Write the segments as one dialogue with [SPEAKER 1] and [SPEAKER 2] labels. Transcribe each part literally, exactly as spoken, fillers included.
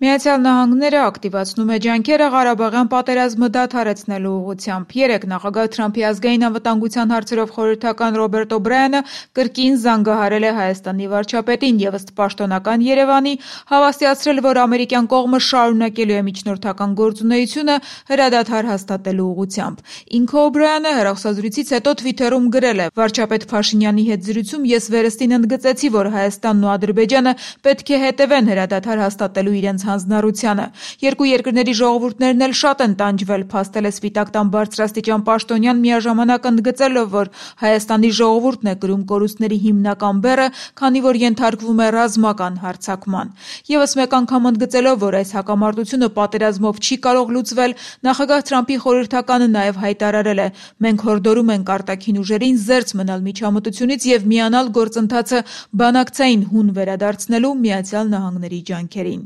[SPEAKER 1] Միացյալ Նահանգները ակտիվացնում է ջանքերը Ղարաբաղյան պատերազմը դադարեցնելու ուղղությամբ։ Երեկ նախագահ Թրամփի ազգային անվտանգության հարցերով խորհրդական Ռոբերտ Օբրայանը կրկին զանգահարել է Հայաստանի վարչապետին եւ ըստ պաշտոնական Երևանի հավաստիացրել, որ ամերիկյան կողմը շարունակելու է միջնորդական գործունեությունը հրադադար հաստատելու ուղղությամբ։ Ինքը Օբրայանը հեռախոսազրույցից հետո Թվիթերում գրել է. «Վարչապետ Փաշինյանի հետ զրույցում ես վերստին ընդգծեցի, որ Հայաստանն ու Ադրբեջանը պետք է հետևեն հրադադար հաստատելու իրենց հանձնառությանը։ Երկու երկրների ժողովուրդներն էլ շատ են տանջվել», փաստել է Սպիտակ տան բարձրաստիճան պաշտոնյան, միաժամանակ ընդգծելով, որ Հայաստանի ժողովուրդն է կրում կորուստների հիմնական բեռը, քանի որ ենթարկվում է ռազմական հարձակման։ Եվս մեկ անգամ ընդգծելով, որ այս հակամարտությունը պատերազմով չի կարող լուծվել, նախագահ Թրամփի խորհրդականը նաև հայտարարել է. «Մենք հորդորում ենք արտաքին ուժերին զերծ մնալ միջամտությունից եւ միանալ գործընթացը բանակցային հուն վերադարձնելու Միացյալ Նահանգների ջանքերին»։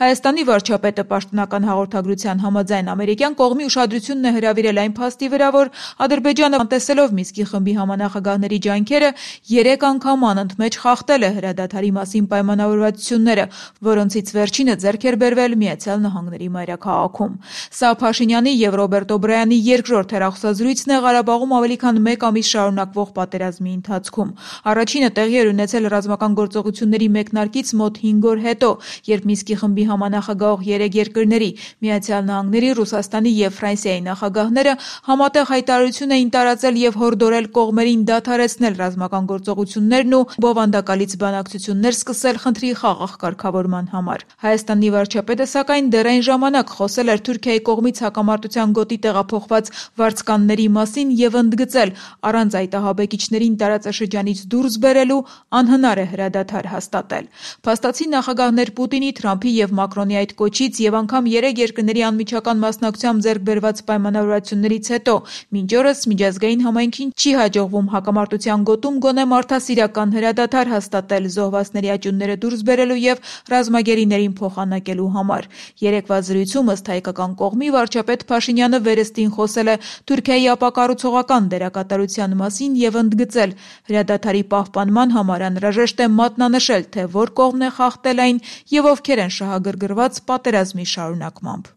[SPEAKER 1] Հայաստանի վարչապետը պաշտոնական հաղորդագրության համաձայն ամերիկյան կողմի ուշադրությունն է հրավիրել այն փաստի վրա, որ Ադրբեջանը անտեսելով Մինսկի խմբի համանախագահների ջանքերը երեք անգամ անընդմեջ խախտել է հրադադարի մասին պայմանավորվածությունները, որոնցից վերջինը ձեռք էր բերվել Միացյալ Նահանգների մայրաքաղաքում։ Սա Փաշինյանի եւ Ռոբերտ Օբրայանի երկրորդ հեռախոսազրույցն է Ղարաբաղում ավելի քան մեկ ամիս շարունակվող պատերազմի ընթացքում։ Առաջինը տեղի էր ունեցել ռազմական գործողությունների մեկնարկից մոտ հինգ օր հետո, երբ Մինսկի խմբի համանախագահող երեք երկրների՝ Միացյալ Նահանգների, Ռուսաստանի եւ Ֆրանսիայի նախագահները համատեղ հայտարարություն էին տարածել եւ հորդորել կողմերին դադարեցնել ռազմական գործողություններն ու բովանդակալից բանակցություններ սկսել խնդրի խաղաղ կարգավորման համար։ Հայաստանի վարչապետը, սակայն, դեռ այն ժամանակ խոսել էր Թուրքիայի կողմից հակամարտության գոտի տեղափոխված վարձկանների մասին եւ ընդգծել՝ առանց այդ ահաբեկիչներին տարածաշրջանից դուրս բերելու անհնար է հրադադար հաստատել։ Փաստացի նախագահներ Պուտինի, Թրամփի եւ Մակրոնի այդ կոչից եւ անգամ երեք երկրների անմիջական մասնակցությամբ ձեռք բերված պայմանավորվածություններից հետո մինչ օրս միջազգային համայնքին չի հաջողվում հակամարտության գոտում գոնե մարդասիրական հրադադար հաստատել զոհվածների աճյունները դուրս բերելու եւ ռազմագերիներին փոխանակելու համար։ Երեկվա զրույցում ըստ հայկական կողմի վարչապետ Փաշինյանը վերստին խոսել է Թուրքիայի ապակառուցողական դերակատարության մասին եւ ընդգծել՝ հրադադարի պահպանման համար անհրաժեշտ է մատնանշել, թե որ կողմն է խախտել այն եւ ովքեր են շահագրգռված պատերազմի շարունակմամբ։